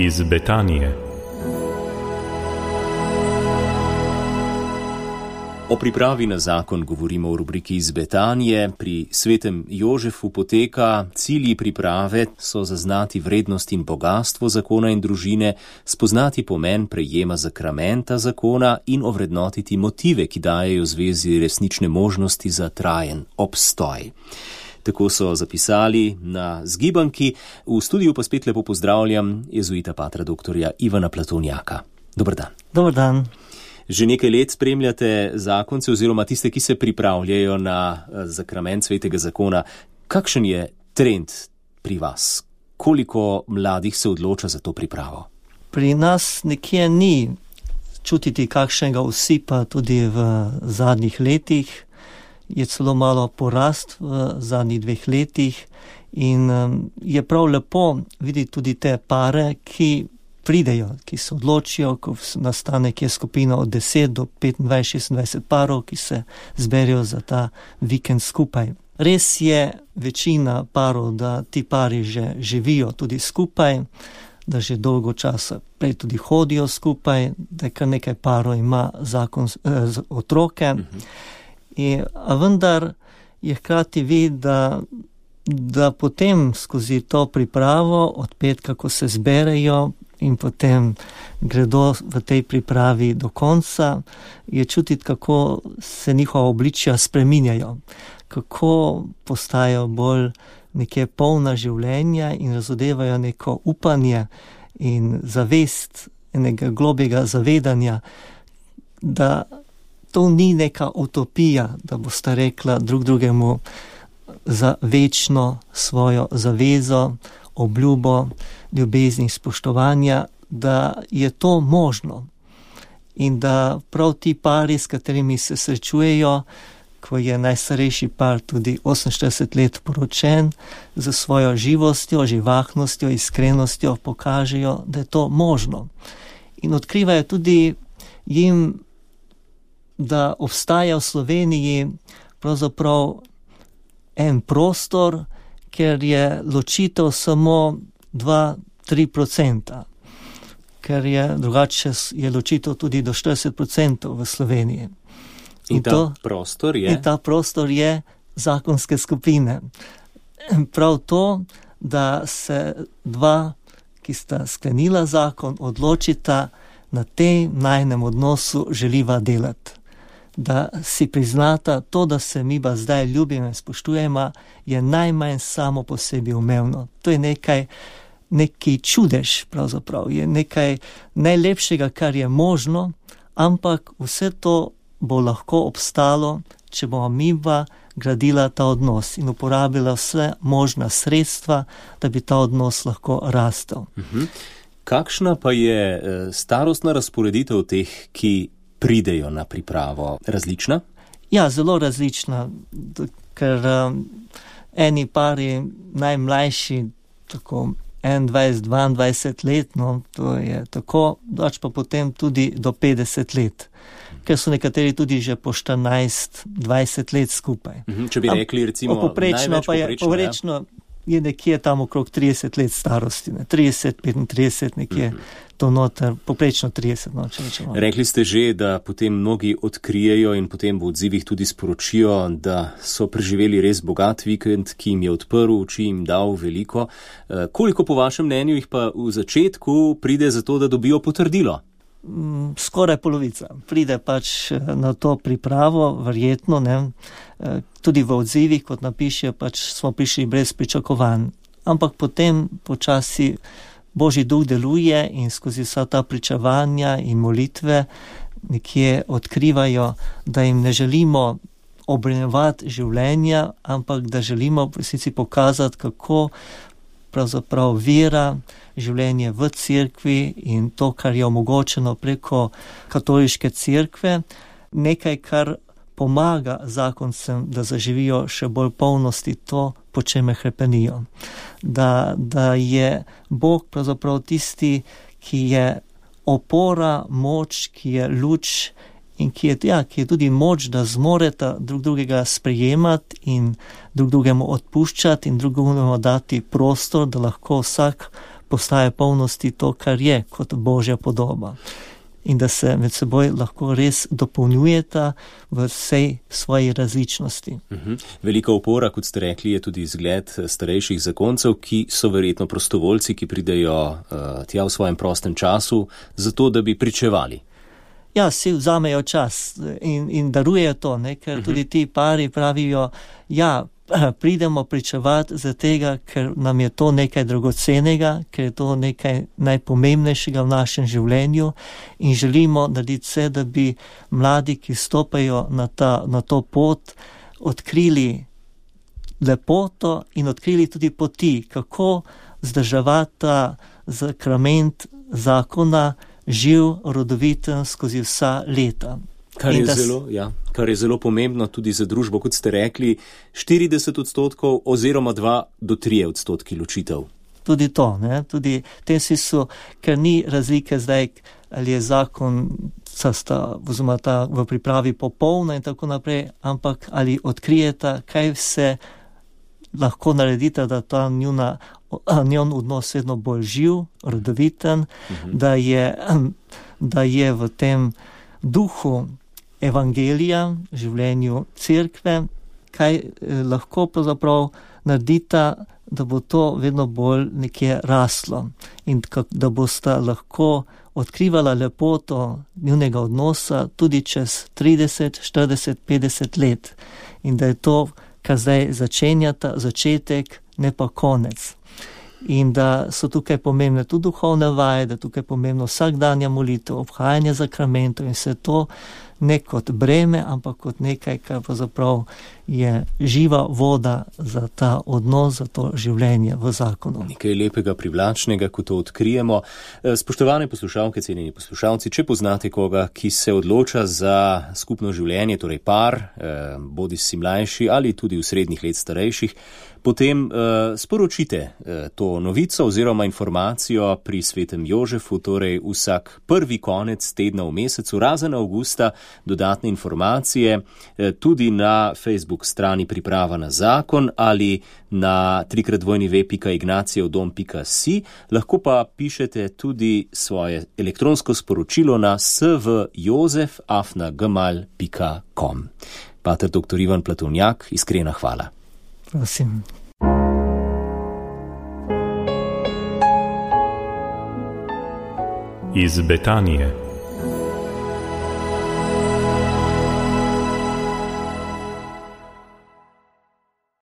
iz Betanije. O pripravi na zakon govorimo v rubriki iz Betanije. Pri svetem Jožefu poteka. Cilji priprave so zaznati vrednost in bogastvo zakona in družine, spoznati pomen prejema zakramenta zakona in ovrednotiti motive, ki dajejo zvezi resnične možnosti za trajen obstoj. Tako so zapisali na zgibanki. V studiu pa spet lepo pozdravljam jezuita patra doktorja Ivana Platonjaka. Dober dan. Dober dan. Že nekaj let spremljate zakonce oziroma tiste, ki se pripravljajo na zakrament svetega zakona. Kakšen je trend pri vas? Koliko mladih se odloča za to pripravo? Pri nas nekje ni čutiti kakšnega usipa tudi v zadnjih letih. Je celo malo porast v zadnjih 2 letih in je prav lepo videti tudi te pare, ki pridejo, ki se odločijo, ko nastane kje skupina od 10 do 25-26 parov, ki se zberijo za ta vikend skupaj. Res je večina parov, da ti pari že živijo tudi skupaj, da že dolgo časa prej tudi hodijo skupaj, da kar nekaj parov ima otroke. A vendar je hkrati vid, da potem skozi to pripravo od petka, ko se zberejo in potem gredo v tej pripravi do konca, je čutiti, kako se njihova obličja spreminjajo, kako postajajo bolj neke polna življenja in razodevajo neko upanje in zavest enega globjega zavedanja, da to ni neka utopija, da bosta rekla drug drugemu za večno svojo zavezo, obljubo, ljubezni, spoštovanja, da je to možno. In da prav ti pari, s katerimi se srečujejo, ko je najstarejši par tudi 48 let poročen, za svojo živostjo, živahnostjo, iskrenostjo pokažejo, da je to možno. In odkrivajo tudi jim, da obstaja v Sloveniji pravzaprav en prostor, ker je ločitev samo 2-3%, ker je drugače je ločitev tudi do 40% v Sloveniji. In ta prostor je? In ta prostor je zakonske skupine. Prav to, da se 2, ki sta sklenila zakon, odločita na tem najnem odnosu želiva delati. Da si priznata to, da se mi pa zdaj ljubimo in spoštujemo, je najmanj samo po sebi umevno. To je neki čudež pravzaprav, je nekaj najlepšega, kar je možno, ampak vse to bo lahko obstalo, če bomo mi pa gradila ta odnos in uporabila vse možna sredstva, da bi ta odnos lahko rastel. Kakšna pa je starostna razporeditev teh, ki pridejo na pripravo? Različna? Ja, zelo različna, ker eni pari najmlajši, tako 21-22 let, no, to je tako, dač pa potem tudi do 50 let, ker so nekateri tudi že po 14-20 let skupaj. Če bi rekli recimo poprečno je nekje tam okrog 30 let starosti, 30-35 nekje, to noter, poprečno 30, no, če rečemo. Rekli ste že, da potem mnogi odkrijejo in potem v odzivih tudi sporočijo, da so preživeli res bogat vikend, ki jim je odprl oči, jim dal veliko. Koliko po vašem mnenju jih pa v začetku pride za to, da dobijo potrdilo? Skoraj polovica. Pride pač na to pripravo, verjetno, ne. Tudi v odzivih, kot napiše, pač smo prišli brez pričakovanj. Ampak potem počasi Božji duh deluje in skozi vsa ta pričevanja in molitve nekje odkrivajo, da jim ne želimo obremenjevati življenja, ampak da želimo v resnici pokazati, kako pravzaprav vera, življenje v cerkvi in to, kar je omogočeno preko katoliške cerkve, nekaj, kar pomaga zakoncem, da zaživijo še bolj polnosti to, po čemer hrepenijo. Da je Bog pravzaprav tisti, ki je opora, moč, ki je luč in ki je tudi moč, da zmoreta drug drugega sprejemati in drug drugemu odpuščati in drugemu dati prostor, da lahko vsak postaje polnosti to, kar je kot Božja podoba. In da se med seboj lahko res dopolnjujeta v vsej svoji različnosti. Velika opora, kot ste rekli, je tudi izgled starejših zakoncev, ki so verjetno prostovoljci, ki pridejo tja v svojem prostem času, zato da bi pričevali. Ja, si vzamejo čas in darujejo to, ne? Ker tudi ti pari pravijo, ja, pridemo pričevati za tega, ker nam je to nekaj dragocenega, ker je to nekaj najpomembnejšega v našem življenju in želimo narediti vse, da bi mladi, ki stopajo na to pot, odkrili lepoto in odkrili tudi poti, kako zdržavati ta sakrament zakona živ, rodoviten skozi vsa leta. Kar je zelo pomembno tudi za družbo, kot ste rekli, 40% oziroma 2 do 3% ločitev. Tudi to, ne? Tudi te so, ker ni razlike zdaj, ali je zakon v pripravi popolna in tako naprej, ampak ali odkrijeta, kaj vse lahko naredita, da ta njon odnos vedno bolj živ, rodoviten, da je v tem duhu evangelija, življenju cerkve, kaj lahko pravzaprav naredita, da bo to vedno bolj nekje raslo in da bosta lahko odkrivala lepoto njunega odnosa tudi čez 30, 40, 50 let in da je to, kar zdaj začenjata, začetek, ne pa konec. In da so tukaj pomembne tudi duhovne vaje, da tukaj pomembno vsakdanja molitev, obhajanje zakramentov in vse to ne kot breme, ampak kot nekaj, kar pravzaprav je živa voda za ta odnos, za to življenje v zakonu. Nekaj lepega, privlačnega, ko to odkrijemo. Spoštovane poslušalke, cenjeni poslušalci, če poznate koga, ki se odloča za skupno življenje, torej par, bodisi mlajši ali tudi v srednjih let starejših, potem sporočite to novico oziroma informacijo pri Svetem Jožefu, torej vsak prvi konec tedna v mesecu, razen avgusta, dodatne informacije tudi na Facebook strani Priprava na zakon ali na www.ignacijevodom.si. Lahko pa pišete tudi svoje elektronsko sporočilo na svjozef@gmail.com. Pater dr. Ivan Platovnjak, iskrena hvala. Prosim. Iz Betanije.